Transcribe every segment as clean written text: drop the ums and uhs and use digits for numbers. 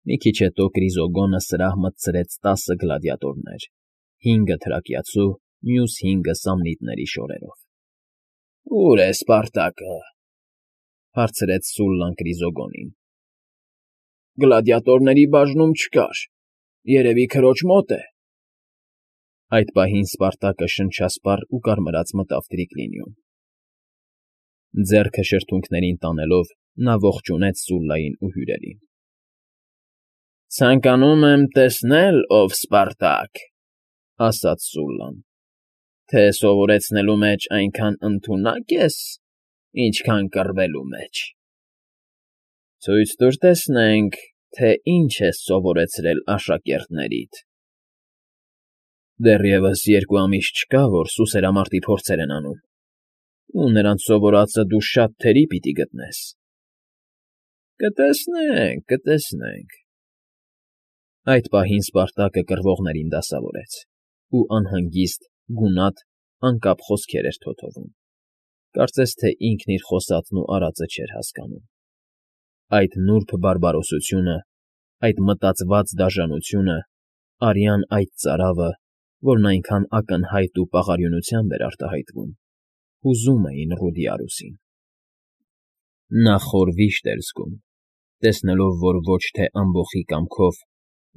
Մի քիչ հետո Կրիզոգոնը սրահ մտցրեց 10 գլադիատորներ, 5 թրակիացու, մյուս 5-ը սամնիտների շորերով։ ֊ Ո՞ւր է Սպարտակը,֊ հարցրեց Սուլլան Կրիզոգոնին։ ֊ Գլադիատորների բաժնում չկար, երևի քրոջ մոտ է։ Այդ պահին Սպարտակը շնչասպառ ու կարմրած մտավ Տրիկլինիում։ Ձեռքը շրթունքներին տանելով՝ նա ողջունեց Սուլլային ու հյուրերին։ ֊ Ցանկանում եմ տեսնել, ով Սպարտակ,֊ ասաց Սուլլան,֊ թե սովորեցնելու մեջ այնքան ընդունա՞կ ես, ինչքան կռվելու մեջ։ Ցույց տուր տեսնենք, թե ինչ ես սովորեցրել աշակերտներիդ։ Դեռևս 2 ամիս չկա, որ սուսերամարտի փորձեր են անում, ու նրանց սովորածը դու շատ թերի պիտի գտնես։ Կտեսնենք, կտեսնենք։ Այդ պահին Սպարտակը կռվողներին դասավորեց ու անհանգիստ, գունատ, անկապ խոսքեր էր թոթովում, կարծես թե ինքն իր խոսածն ու արածը չէր հասկանում։ Այդ նուրբ բարբարոսությունը, այդ մտածված դաժանությունը, արյան այդ ծարավը, որն այնքան ակնհայտ ու պաղարյունությամբ էր արտահայտվում, հուզում էին Ռուդիարուսին։ Նա խոր վիշտ էր զգում, տեսնելով, որ ոչ թե ամբոխի կամքով,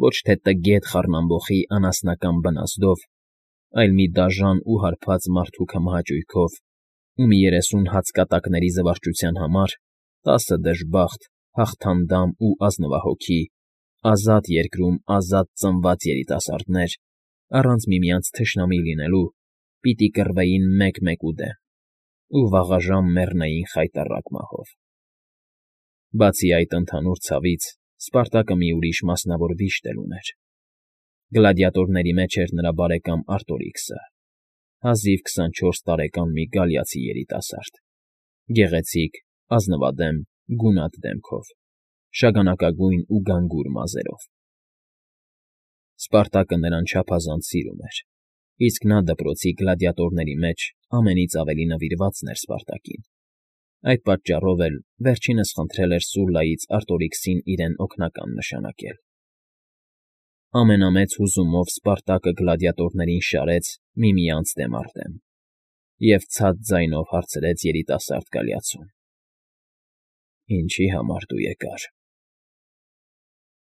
ոչ թե տգետ խառնամբոխի անասնական բնազդով, այլ մի դաժան ու հարբած մարդու քմահաճույքով ու մի 30 հացկատակների զվարճության համար 10 դժբախտ, հաղթանդամ ու ազնվահոգի, ազատ երկրում ազատ ծնված երիտասարդներ, առանց միմյանց թշնամի լինելու, պիտի կռվեին մեկ֊մեկու դեմ ու վաղաժամ մեռնեին խայտառակ մահով։ Բացի այդ ընդհանուր ցավից, Սպարտակը մի ուրիշ մասնավոր վիշտ էլ ուներ։ Գլադիատորների մեջ էր նրա բարեկամ Արտորիքսը, հազիվ 24 տարեկան մի գալիացի երիտասարդ, գեղեցիկ, ազնվադեմ, գունատ դեմքով, շագանակագույն ու գանգուր մազերով։ Սպարտակը նրան չափազանց սիրում էր, իսկ նա դպրոցի գլադիատորների մեջ ամենից ավելի նվիրվածն էր Սպարտակին։ Այդ պատճառով էլ վերջինս խնդրել էր Սուլլայից Արտորիքսին իրեն օգնական նշանակել։ Ամենամեծ հուզումով Սպարտակը գլադիատորներին շարեց միմյանց դեմ առ դեմ և ցած ձայնով հարցրեց երիտասարդ գալիացուն. «Ինչի համար դու եկար»։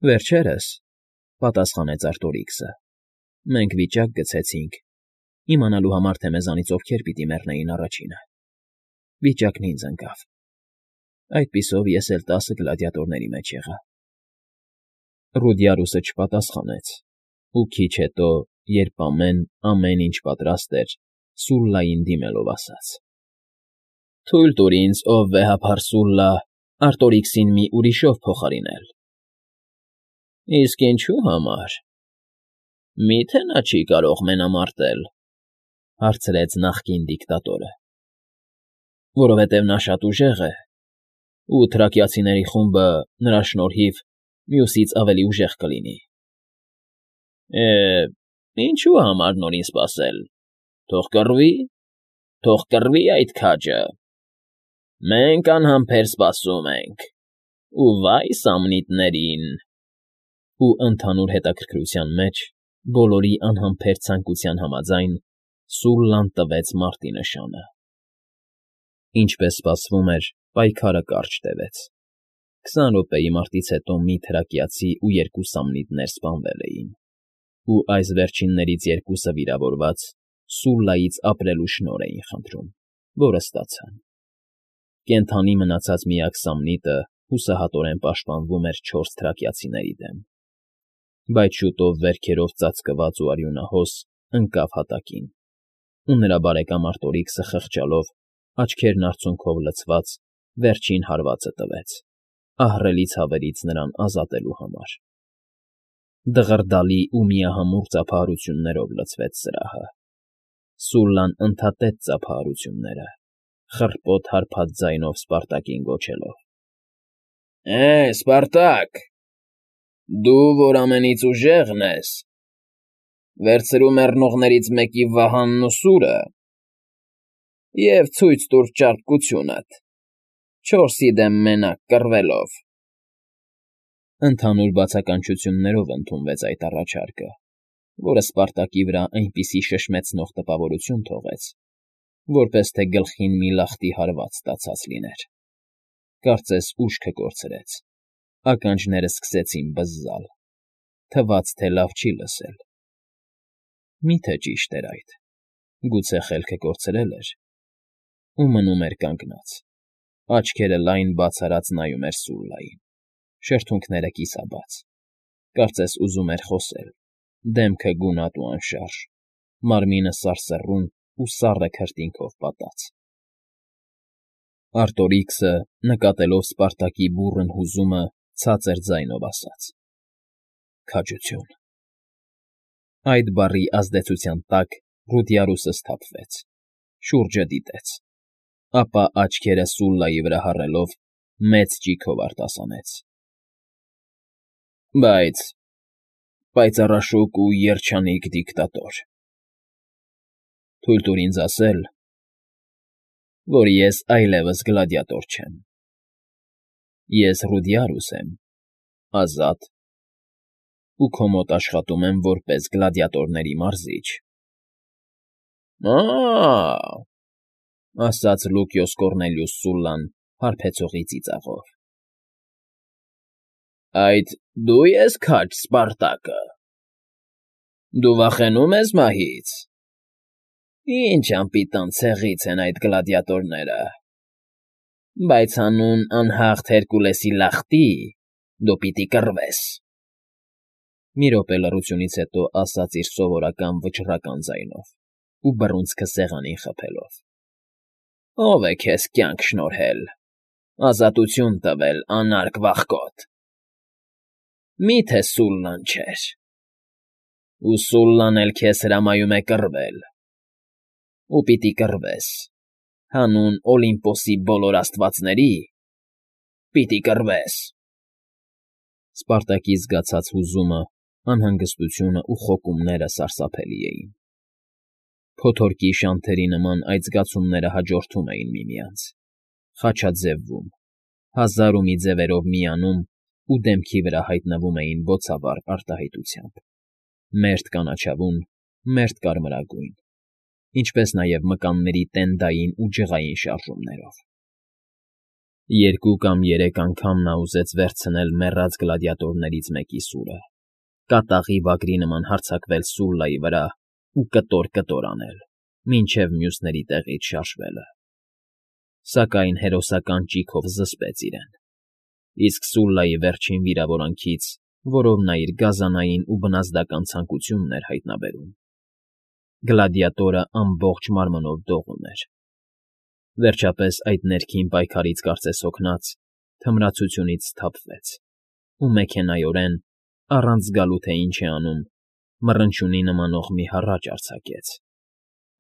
«Վերջերս,֊ պատասխանեց Արտորիքսը,֊ մենք վիճակ գցեցինք, իմանալու համար, թե մեզանից ովքեր պիտի մեռնեին առաջինը։ Վիճակն ինձ ընկավ։ Այդպիսով ես էլ 10 գլադիատորների մեջ եղա»։ Ռուդիարուսը չպատասխանեց ու քիչ հետո, երբ ամեն ինչ պատրաստ էր, Սուլլային դիմելով ասաց. «Թույլ տուր ինձ, ով վեհափառ Սուլլա, Արտորիքսին մի ուրիշով փոխարինել»։ «Իսկ ինչու համար։ Մի՞թե նա չի կարող մենամարտել,֊ հարցրեց նախկին դիկտատորը։ «Որովհետև նա շատ ուժեղ է, ու թրակիացիների խումբը, նրա շնորհիվ, մյուսից ավելի ուժեղ կլինի»։ Է, ինչու համար նորին սպասել, թող կռվի այդ քաջը։ Մենք անհամբեր սպասում ենք, ու վայ սամնիտներին։ Ու ընդհանուր հետաքրքրության մեջ, բոլորի անհամբեր ցանկության համաձայն, Սուլլան տվեց մարտի նշանը։ Ինչպես սպասվում էր, պայքարը կարճ տևեց։ 20 րոպեի մարտից հետո մի թրակիացի ու 2 սամնիտներ սպանվել էին, ու այս վերջիններից 2-ը վիրավորված Սուլլայից ապրելու շնորհ էին խնդրում, որը ստացան։ Կենդանի մնացած միակ սամնիտը հուսահատորեն պաշտպանվում էր 4 թրակիացիների դեմ, բայց շուտով վերքերով ծածկված ու արյունահոս ընկավ հատակին, ու նրա բարեկամ Արտորիքսը խղճալով, աչքերն արցունքով լցված, վերջին հարվածը տվեց, ահռելի ցավերից նրան ազատելու համար։ Դղրդալի ու միահամուռ ծափահարություններով լցվեց սրահը։ Սուլլան ընդհատեց ծափահարությունները, խռպոտ հարբած ձայնով Սպարտակին գոչելով. Սպարտակ, դու, որ ամենից ուժեղն ես, վերցրու մեռնողներից մեկի վահանն ու սուրը և ցույց տուր ճարպկությունդ, 4-ի դեմ մենակ կռվելով։ Ընդհանուր բացականչություններով ընդունվեց այդ առաջարկը, որը Սպարտակի վրա այնպիսի շշմեցնող տպավորություն թողեց, որպես թե գլխին մի լախտի հարված ստացած լիներ. կարծես ուշքը կորցրեց, ականջները սկսեցին բզզալ, թվաց, թե լավ չի լսել. Մի՞թե ճիշտ էր այդ, գուցե խելքը կորցրել էր, ու մնում էր կանգնած, աչքերը լայն բաց արած նայում էր Սուլլային, շրթունքները կիսաբաց, կարծես ուզում էր խոսել, դեմքը գունատ ու անշարժ, մարմինը սարսռուն ու սառը քրտինքով պատած։ Արտորիքսը, նկատելով Սպարտակի բուռն հուզումը, ցածր ձայնով ասաց. «Քաջություն»։ Այդ բառի ազդեցության տակ Ռուդիարուսը սթափվեց, շուրջը դիտեց, ապա աչքերը Սուլլայի վրա հառելով, մեծ ճիգով արտասանեց. «Բայց, պայծառաշուկ ու երջանիկ դիկտատոր, թույլ տուր ինձ ասել, որ ես այլևս գլադիատոր չեմ, ես Ռուդիարուս եմ, ազատ, ու քո մոտ աշխատում եմ որպես գլադիատորների մարզիչ»։ «Ա՜», ասաց Լուկիոս Կոռնելիուս Սուլլան հարբեցողի ծիծաղով։ «Այդ դու ես քաջ Սպարտակը։ Դու վախենու՞մ ես մահից։ Ինչ անպիտան ցեղից են այդ գլադիատորները, բայց հանուն անհաղթ Հերկուլեսի լախտի դու պիտի կռվես»։ Մի րոպե լռությունից հետո ասաց իր սովորական վճռական ձայնով ու բռունցքը սեղանին խփելով. «Ո՞վ է քեզ կյանք շնորհել, ազատություն տվել, անարգ վախկոտ։ Մի՞թե Սուլլան չէր։ Ու Սուլլան էլ քեզ հրամայում է կռվել, ու պիտի կռվես, հանուն Օլիմպոսի բոլոր աստվածների, պիտի կռվես»։ Սպարտակի զգացած հուզումը, անհանգստությունը ու խոկումները սարսափելի էին։ Փոթորկի շանթերի նման այդ զգացումները հաջորդում էին միմյանց, խաչաձևվում, հազար ու մի ձևերով միանում ու դեմքի վրա հայտնվում էին բոցավառ արտահայտությամբ, մերթ կանաչավուն, մերթ կարմրագույն, ինչպես նաև մկանների տենդային ու ջղային շարժումներով։ Երկու կամ երեք անգամ նա ուզեց վերցնել մեռած գլադիատորներից մեկի սուրը, կատաղի վագրի նման հարձակվել Սուլլայի վրա ու կտոր անել, մինչև մյուսների տեղից շարժվելը, սակայն հերոսական ճիգով զսպեց իրեն, իսկ Սուլլայի վերջին վիրավորանքից, որով նա իր գազանային ու բնազդական ցանկությունն էր հայտնաբերում, գլադիատորը ամբողջ մարմնով դողում էր։ Վերջապես այդ ներքին պայքարից կարծես հոգնած, թմրացությունից սթափվեց ու մեքենայորեն, առանց զգալու թե ինչ է անում, մռնչյունի նմանող մի հառաչ արձակեց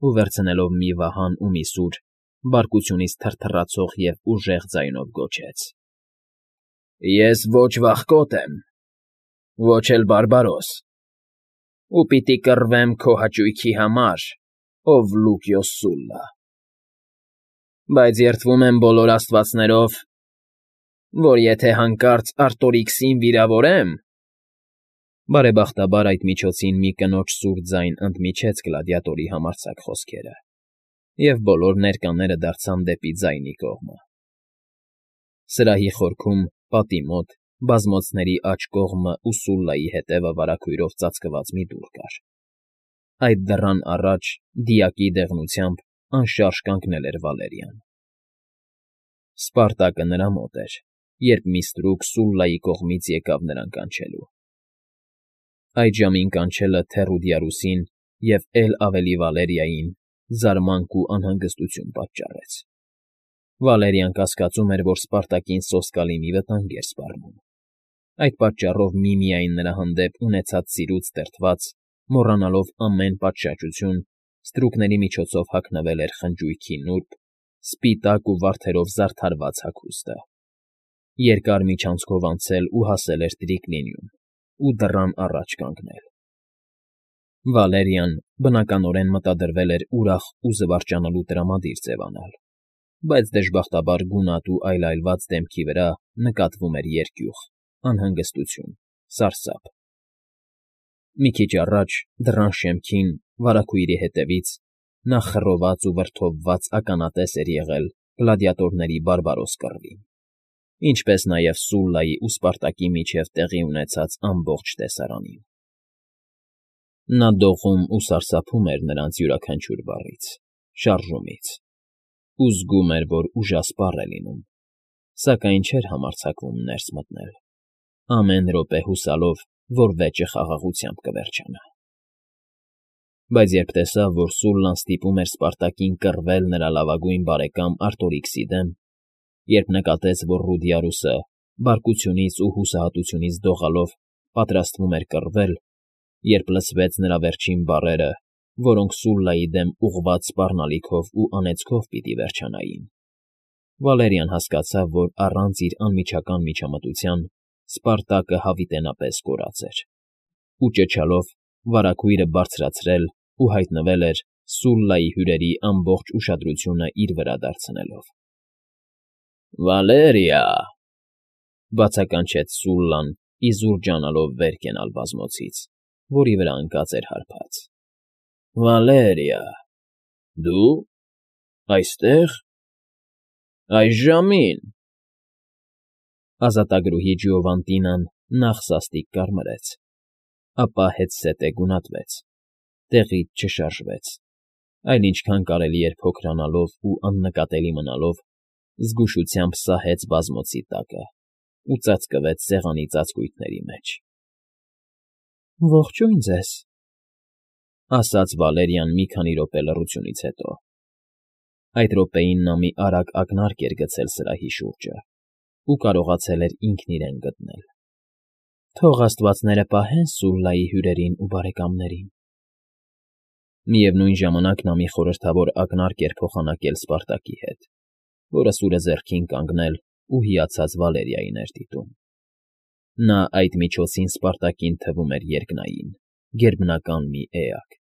ու վերցնելով մի վահան ու մի սուր, բարկությունից թրթռացող և ուժեղ ձայնով գոչեց. «Ես ոչ վախկոտ եմ, ոչ էլ բարբարոս, ու պիտի կռվեմ քո հաճույքի համար, ով Լուկիոս Սուլլա, բայց երդվում եմ բոլոր աստվածներով, որ եթե հանկարծ Արտորիքսին վիրավորեմ…» Բարեբախտաբար այդ միջոցին մի կնոջ սուր ձայն ընդմիջեց գլադիատորի համարձակ խոսքերը, և բոլոր ներկաները դարձան դեպի ձայնի կողմը։ Սրահի խորքում, պատի մոտ, բազմոցների աջ կողմը ու Սուլլայի հետևը վարագույրով ծածկված մի դուռ կար։ Այդ դռան առաջ, դիակի դեղնությամբ, անշարժ կանգնել էր Վալերիան։ Սպարտակը նրա մոտ էր, երբ մի ստրուկ Սուլլայի կողմից եկավ նրան կանչելու։ Այդ ժամին կանչելը թե Ռուդիարուսին և էլ ավելի Վալերիային զարմանք ու անհանգստություն պատճառեց։ Վալերիան կասկածում էր, որ Սպարտակին սոսկալի մի վտանգ էր սպառնում։ Այդ պատճառով միմիայն նրա հանդեպ ունեցած սիրուց դրդված, մոռանալով ամեն պատշաճություն, ստրուկների միջոցով հագնվել էր խնջույքի նուրբ, սպիտակ ու վարդերով զարդարված հագուստը, երկար միջանցքով անցել ու հասել էր Տրիկլինիում ու դռան առաջ կանգնել։ Վալերիան, բնականորեն, մտադրվել էր ուրախ ու զվարճանալու տրամադիր ձևանալ, բայց դժբախտաբար գունատ ու այլայլված դեմքի վրա նկատվում էր երկյուղ, անհանգստություն, սարսափ։ Մի քիչ առաջ, դռան շեմքին, վարագույրի հետևից, նա խռոված ու վրդովված ականատես էր եղել գլադիատորների բարբարոս կռվին, ինչպես նաև Սուլլայի ու Սպարտակի միջև տեղի ունեցած ամբողջ տեսարանին։ Նա դողում ու սարսափում էր նրանց յուրաքանչյուր բառից, շարժումից, ու զգում էր, որ ուժասպառ է լինում, սակայն չէր համարձակվում ներս մտնել, ամեն րոպե հուսալով, որ վեճը խաղաղությամբ կվերջանա։ Բայց երբ տեսավ, որ Սուլլան ստիպում էր Սպարտակին կռվել նրա լավագույն բարեկամ Արտորիքսի դեմ, երբ նկատեց, որ Ռուդիարուսը բարկությունից ու հուսահատությունից դողալով պատրաստվում էր կռվել, երբ լսվեց նրա վերջին բառերը, որոնք Սուլլայի դեմ ուղղված սպառնալիքով ու անեծքով պիտի վերջանային, Վալերիան հասկացավ, որ առանց իր անմիջական միջամտության Սպարտակը հավիտենապես կորած էր, ու ճչալով վարագույրը բարձրացրել ու հայտնվել էր Սուլլայի հյուրերի ամբողջ ուշադրությունը իր վրա դարձնելով։ «Վալերիա!» բացականչեց Սուլլան, իզուր ջանալով վեր կենալ բազմոցից, որի վրա ընկած էր հարբած։ «Վալերիա, դու… այստեղ… այս ժամին…» Ազատագրուհի Ջիովանտինան նախ սաստիկ կարմրեց, ապա հետզհետե գունատվեց, տեղից չշարժվեց, այլ ինչքան կարելի էր փոքրանալով ու աննկատելի մնալով, զգուշությամբ սահեց բազմոցի տակը ու ծածկվեց սեղանի ծածկույթների մեջ։ «Ողջույն ձեզ», ասաց Վալերիան մի քանի րոպե լռությունից հետո։ Այդ րոպեին նա մի արագ ակնարկ էր գցել սրահի շուրջը ու կարողացել էր ինքն իրեն գտնել։ «Թող աստվածները պահեն Սուլլայի հյուրերին ու բարեկամներին»։ Միևնույն ժամանակ նա մի խորհրդավոր ակնարկ էր փոխանակել Սպարտակի հետ, որը սուրը ձեռքին կանգնել ու հիացած Վալերիային էր դիտում։ Նա այդ միջոցին Սպարտակին թվում էր երկնային, գերբնական մի էակ։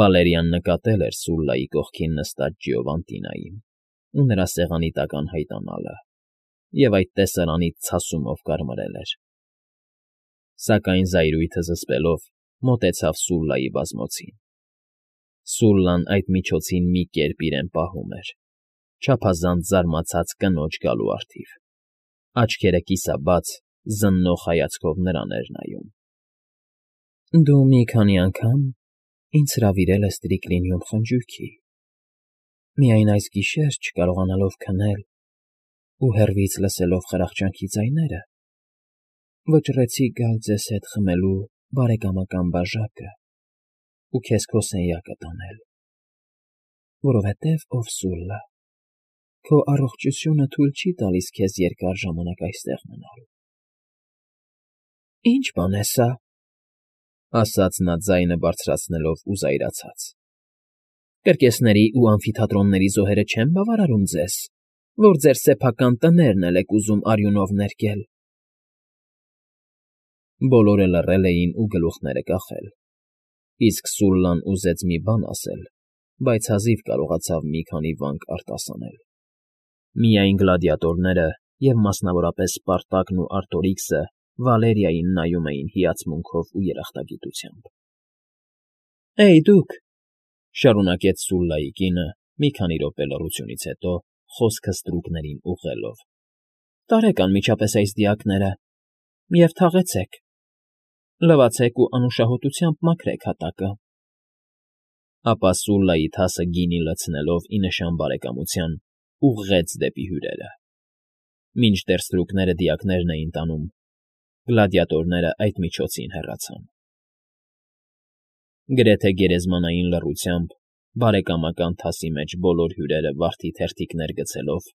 Վալերիան նկատել էր Սուլլայի կողքին նստած Ջիովանտինային ու նրա սեղանի տակ անհայտանալը, և այդ տեսարանից ցասումով կարմրել էր։ Սակայն զայրույթը զսպելով մոտեցավ Սուլլայի բազմոցին։ Սուլլան այդ միջոցին մի կերպ իրեն պահում էր, չափազանց զարմացած կնոջ գալու առթիվ, աչքերը կիսաբաց, զննող հայացքով նրան էր նայում։ «Դու մի քանի անգամ ինձ հրավիրել ես Տրիկլինիում խնջույքի, միայն այս գիշեր, չկարողանալով քնել ու հեռվից լսելով խրախճանքի ձայները, վճռեցի գալ ձեզ հետ խմելու բարեկամական բաժակը ու քեզ քո սենյակը տանել, որովհետև, ով Սուլլա, քո առողջությունը թույլ չի տալիս քեզ երկար ժամանակ այստեղ մնալ»։ «Ի՞նչ բան է սա», ասաց նա ձայնը բարձրացնելով ու զայրացած։ «Կրկեսների ու ամֆիթատրոնների զոհերը չեն բավարարում ձեզ, որ ձեր սեփական տներն էլ եք ուզում արյունով ներկել»։ Բոլորը լռել էին ու գլուխները կախել, իսկ Սուլլան ուզեց մի բան ասել, բայց հազիվ կարողացավ մի քանի վանք արտասանել։ Միայն գլադիատորները և մասնավորապես Սպարտակն ու Արտորիքսը Վալերիային նայում էին հիացմունքով ու երախտագիտությամբ։ «Էյ, դուք,֊ շարունակեց Սուլլայի կինը մի քանի րոպե լռությունից հետո, խոսքը ստրուկներին ուղղելով,֊ տարեք անմիջապես այս դիակները և թաղեցեք, լվացեք ու անուշահոտությամբ մաքրեք հատակը»։ Ապա Սուլլայի թասը գինի լցնելով ի նշան բարեկամության, ուղղեց դեպի հյուրերը։ Մինչդեռ ստրուկները դիակներն էին տանում, գլադիատորները այդ միջոցին հեռացան։ Գրեթե գերեզմանային լռությամբ բարեկամական թասի մեջ բոլոր հյուրերը վարդի թերթիկներ գցելով,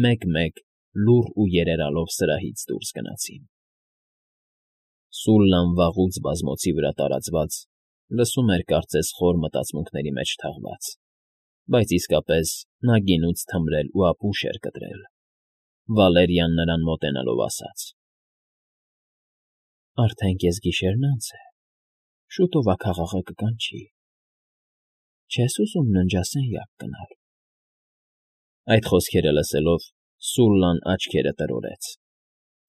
մեկ֊մեկ լուռ ու երերալով սրահից դուրս գնացին։ Սուլլան վաղուց բազմոցի վրա տարածված, լսում էր կարծես խոր մտածմունքների մեջ թաղված, բայց իսկապես նա գինուց թմրել ու ապուշ էր կտրել։ Վալերիան նրան մոտենալով ասաց. «Արդեն կեսգիշերն անց է, շուտով աքաղաղը կկանչի, չե՞ս ուզում ննջասենյակ գնալ»։ Այդ խոսքերը լսելով՝ Սուլլան աչքերը տրորեց,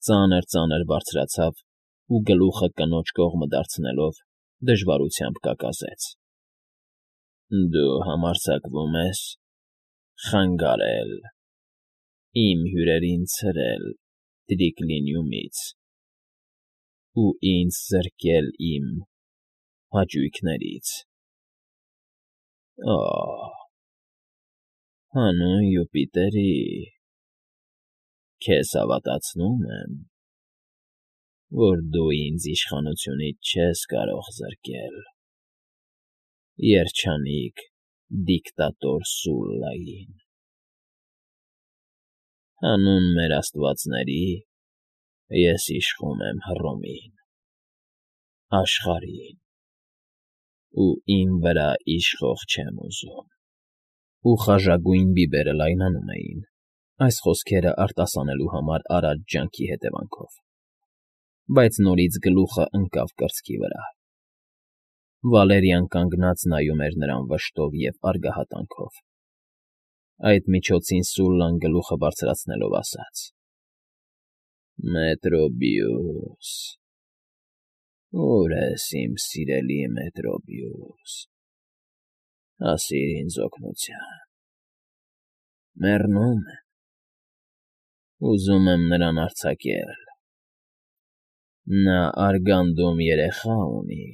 Ծանր բարձրացավ ու գլուխը կնոջ կողմը դարձնելով դժվարությամբ կակազեց. Դու համարձակվում ես խանգարել, իմ հյուրերին ցրել Տրիկլինիումից ու ինձ զրկել իմ հաճույքներից… Օ՜, հանուն Յուպիտերի, քեզ հավատացնում եմ, որ դու ինձ իշխանությունից չես կարող զրկել, երջանիկ դիկտատոր Սուլլային… Հանուն մեր աստվածների, ես իշխում եմ Հռոմին, աշխարհին ու իմ վրա իշխող չեմ ուզում… Ու խաժագույն բիբերը լայնանում էին, այս խոսքերը արտասանելու համար արած ջանքի հետևանքով, բայց նորից գլուխը ընկավ կրծքի վրա… Վալերիան կանգնած նայում էր նրան վշտով և արգահատանքով… Այդ միջոցին Սուլլան գլուխը բարձրացնելով ասաց. Մետրոբիուս… Ո՞ւր ես, իմ սիրելի Մետրոբիուս… Հասիր ինձ օգնության… Մեռնում եմ… Ուզում եմ նրան արձակել… Նա Արգանդում երեխա ունի…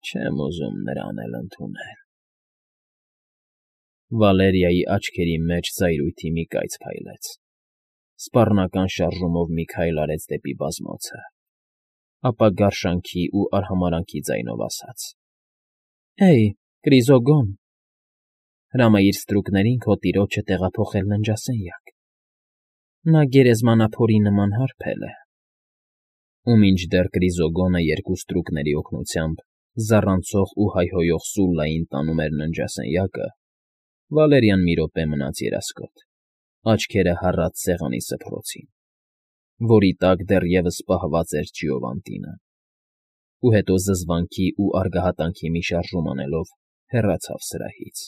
Չեմ ուզում նրան էլ ընդունել… Վալերիայի աչքերի մեջ զայրույթի մի կայծ փայլեց… Սպառնական շարժումով մի քայլ արեց դեպի բազմոցը, ապա գարշանքի ու արհամարհանքի ձայնով ասաց. Հեյ, Կրիզոգոն, հրամայիր ստրուկներին քո տիրոջը տեղափոխել ննջասենյակ… Նա գերեզմանափորի նման հարբել է… Ու մինչդեռ Կրիզոգոնը երկու ստրուկների օգնությամբ զառանցող ու հայհոյող Սուլլային տանում էր ննջասենյակը, Վալերիան մի րոպե մնաց երասկոտ, աչքերը հառած սեղանի սփռոցին, որի տակ դեռևս պահված էր Ջիովանտինը, ու հետո զզվանքի ու արգահատանքի մի շարժում անելով հեռացավ սրահից…